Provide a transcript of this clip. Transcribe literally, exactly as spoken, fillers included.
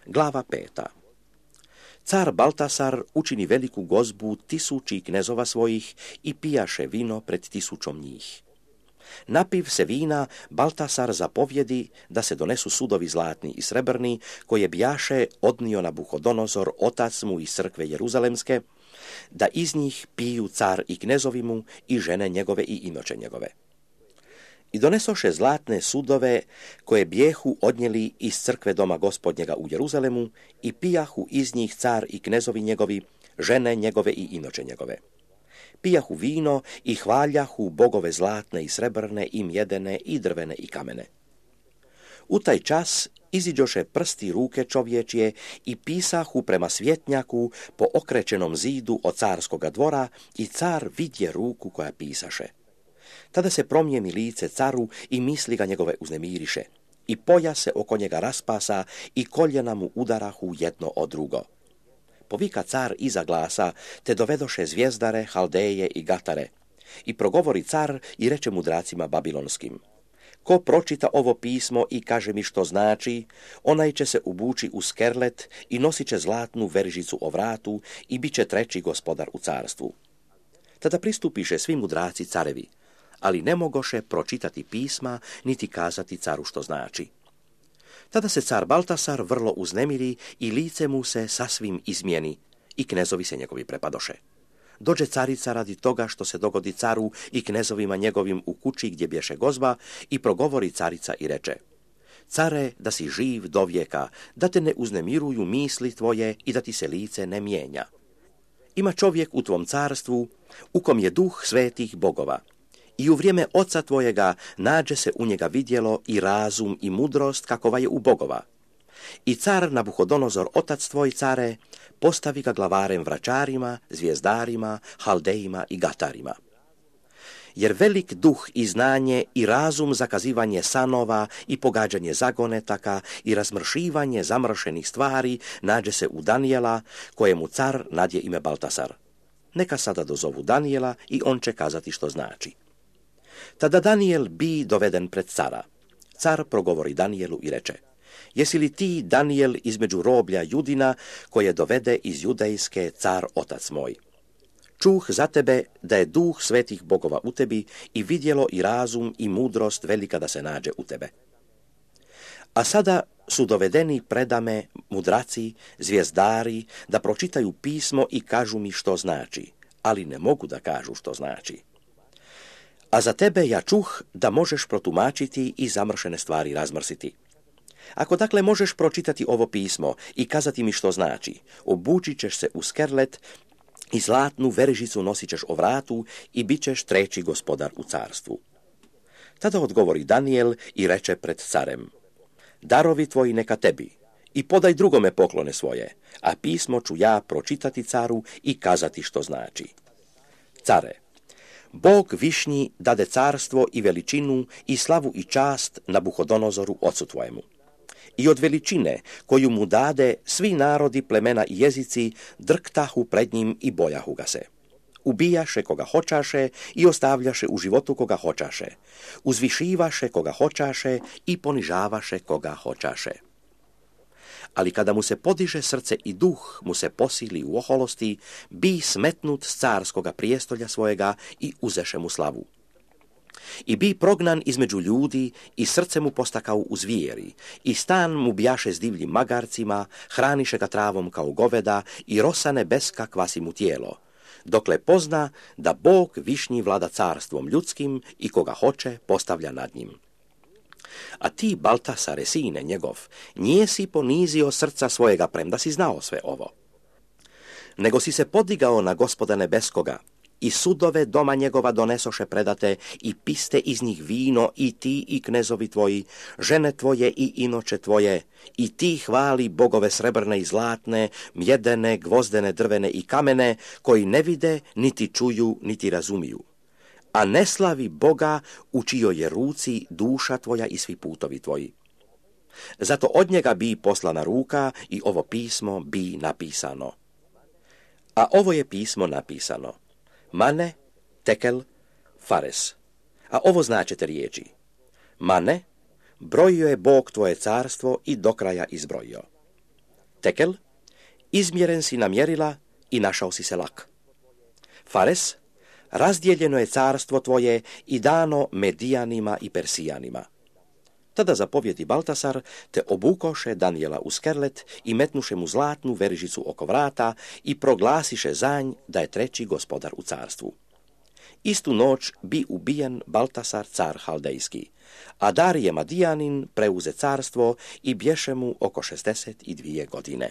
Glava peta. Car Baltasar učini veliku gozbu tisući knezova svojih i pijaše vino pred tisućom njih. Napiv se vina, Baltasar zapovjedi da se donesu sudovi zlatni i srebrni, koje bijaše odnio Nabuhodonozor, otac mu iz crkve Jeruzalemske, da iz njih piju car i knezovi mu i žene njegove i inoče njegove. I donesoše zlatne sudove koje bijehu odnijeli iz crkve doma gospodnjega u Jeruzalemu i pijahu iz njih car i knezovi njegovi, žene njegove i inoče njegove. Pijahu vino i hvaljahu bogove zlatne i srebrne i mjedene i drvene i kamene. U taj čas iziđoše prsti ruke čovječje i pisahu prema svjetnjaku po okrećenom zidu od carskoga dvora i car vidje ruku koja pisaše. Tada se promijeni lice caru i misli ga njegove uznemiriše i poja se oko njega raspasa i koljena mu udarahu jedno od drugo. Povika car iza glasa, te dovedoše zvijezdare, haldeje i gatare. I progovori car i reče mudracima babilonskim: ko pročita ovo pismo i kaže mi što znači, onaj će se ubući u skerlet i nosit će zlatnu veržicu o vratu i bit će treći gospodar u carstvu. Tada pristupiše svi mudraci carevi, ali ne mogoše pročitati pisma niti kazati caru što znači. Tada se car Baltasar vrlo uznemiri i lice mu se sasvim izmijeni i knezovi se njegovi prepadoše. Dođe carica radi toga što se dogodi caru i knezovima njegovim u kući gdje bješe gozba i progovori carica i reče: care, da si živ do vijeka, da te ne uznemiruju misli tvoje i da ti se lice ne mijenja. Ima čovjek u tvom carstvu u kom je duh svetih bogova. I u vrijeme oca tvojega nađe se u njega vidjelo i razum i mudrost kakova je u bogova. I car Nabuhodonozor, otac tvoj care, postavi ga glavarem vračarima, zvijezdarima, haldejima i gatarima. Jer velik duh i znanje i razum zakazivanje sanova i pogađanje zagonetaka i razmršivanje zamršenih stvari nađe se u Danijela, kojemu car nadje ime Baltasar. Neka sada dozovu Danijela i on će kazati što znači. Tada Danijel bi doveden pred cara. Car progovori Danijelu i reče: jesi li ti, Danijel, između roblja Judina, koje dovede iz judejske car otac moj? Čuh za tebe da je duh svetih bogova u tebi i vidjelo i razum i mudrost velika da se nađe u tebe. A sada su dovedeni predame mudraci, zvijezdari, da pročitaju pismo i kažu mi što znači, ali ne mogu da kažu što znači. A za tebe ja čuh da možeš protumačiti i zamršene stvari razmrsiti. Ako dakle možeš pročitati ovo pismo i kazati mi što znači, obučit ćeš se u skerlet i zlatnu veržicu nosit ćeš o vratu i bit ćeš treći gospodar u carstvu. Tada odgovori Danijel i reče pred carem: darovi tvoji neka tebi i podaj drugome poklone svoje, a pismo ću ja pročitati caru i kazati što znači. Care, Bog višnji dade carstvo i veličinu i slavu i čast Nabuhodonozoru ocu tvojemu. I od veličine koju mu dade svi narodi, plemena i jezici drktahu pred njim i bojahu ga se. Ubijaše koga hoćaše i ostavljaše u životu koga hoćaše. Uzvišivaše koga hoćaše i ponižavaše koga hoćaše. Ali kada mu se podiže srce i duh mu se posili u oholosti, bi smetnut s carskoga prijestolja svojega i uzeše mu slavu. I bi prognan između ljudi i srce mu postakao u zvijeri, i stan mu bijaše s divljim magarcima, hraniše ga travom kao goveda i rosa nebeska kvasi mu tijelo, dokle pozna da Bog višnji vlada carstvom ljudskim i koga hoće postavlja nad njim. A ti, Baltasare, sine njegov, nije si ponizio srca svojega premda si znao sve ovo, nego si se podigao na Gospoda nebeskoga i sudove doma njegova donesoše predate i piste iz njih vino i ti i knezovi tvoji, žene tvoje i inoče tvoje, i ti hvali bogove srebrne i zlatne, mjedene, gvozdene, drvene i kamene, koji ne vide, niti čuju, niti razumiju. A ne slavi Boga u čijoj je ruci duša tvoja i svi putovi tvoji. Zato od njega bi poslana ruka i ovo pismo bi napisano. A ovo je pismo napisano: Mane, tekel, fares. A ovo značete riječi: Mane, brojio je Bog tvoje carstvo i do kraja izbrojio. Tekel, izmjeren si na mjerila i našao si se lak. Fares, razdijeljeno je carstvo tvoje i dano Medijanima i Persijanima. Tada zapovjedi Baltasar, te obukoše Danijela u skerlet i metnuše mu zlatnu verižicu oko vrata i proglasiše zanj da je treći gospodar u carstvu. Istu noć bi ubijen Baltasar car Haldejski, a Darije Madijanin preuze carstvo i bješe mu oko šezdeset dvije godine.